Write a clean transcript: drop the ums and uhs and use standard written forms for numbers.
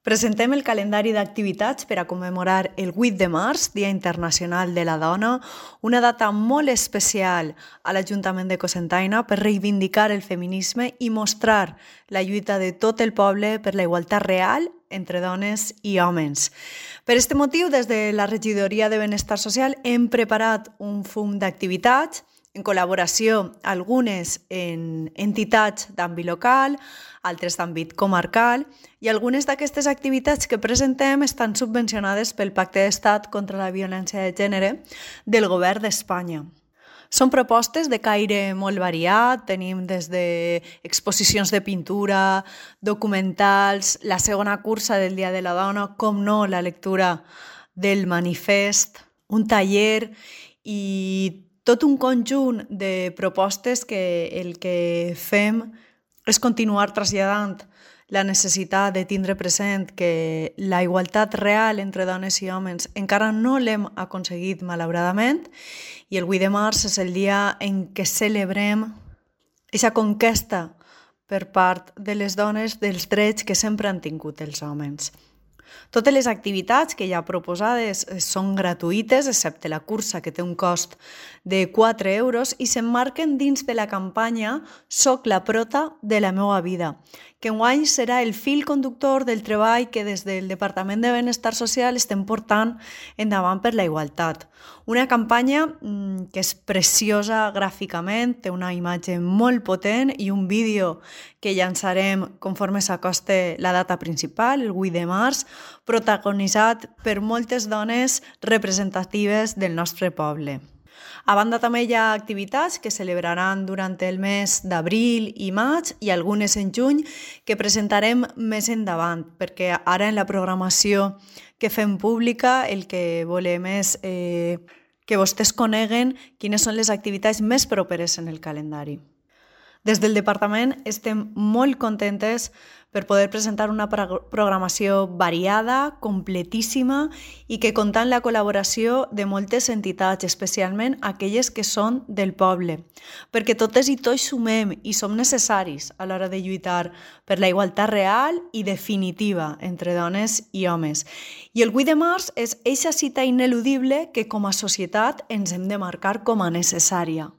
Presentem el calendari d'activitats per a commemorar el 8 de març, Dia Internacional de la Dona, una data molt especial a l'Ajuntament de Cocentaina per reivindicar el feminisme i mostrar la lluita de tot el poble per la igualtat real entre dones i homes. Per aquest motiu, des de la Regidoria de Benestar Social hem preparat un fum d'activitats en col·laboració algunes en entitats d'àmbit local, altres d'àmbit comarcal, i algunes d'aquestes activitats que presentem estan subvencionades pel Pacte d'Estat contra la Violència de Gènere del Govern d'Espanya. Són propostes de caire molt variat, tenim des d'exposicions de pintura, documentals, la segona cursa del Dia de la Dona, com no, la lectura del manifest, un taller i tot un conjunt de propostes que el que fem és continuar traslladant la necessitat de tindre present que la igualtat real entre dones i homes encara no l'hem aconseguit, malauradament, i el 8 de març és el dia en què celebrem aquesta conquesta per part de les dones dels drets que sempre han tingut els homes. Totes les activitats que hi ha proposades són gratuïtes, excepte la cursa, que té un cost de 4 euros, i s'emmarquen dins de la campanya Soc la prota de la meva vida, que enguany serà el fil conductor del treball que des del Departament de Benestar Social estem portant endavant per la igualtat. Una campanya que és preciosa gràficament, té una imatge molt potent i un vídeo que llançarem conforme s'acoste la data principal, el 8 de març, protagonitzat per moltes dones representatives del nostre poble. A banda també hi ha activitats que celebraran durant el mes d'abril i maig i algunes en juny que presentarem més endavant, perquè ara en la programació que fem pública el que volem és que vostès coneguen quines són les activitats més properes en el calendari. Des del departament estem molt contentes per poder presentar una programació variada, completíssima i que compta amb la col·laboració de moltes entitats, especialment aquelles que són del poble, perquè totes i tots sumem i som necessaris a l'hora de lluitar per la igualtat real i definitiva entre dones i homes. I el 8 de març és eixa cita ineludible que com a societat ens hem de marcar com a necessària.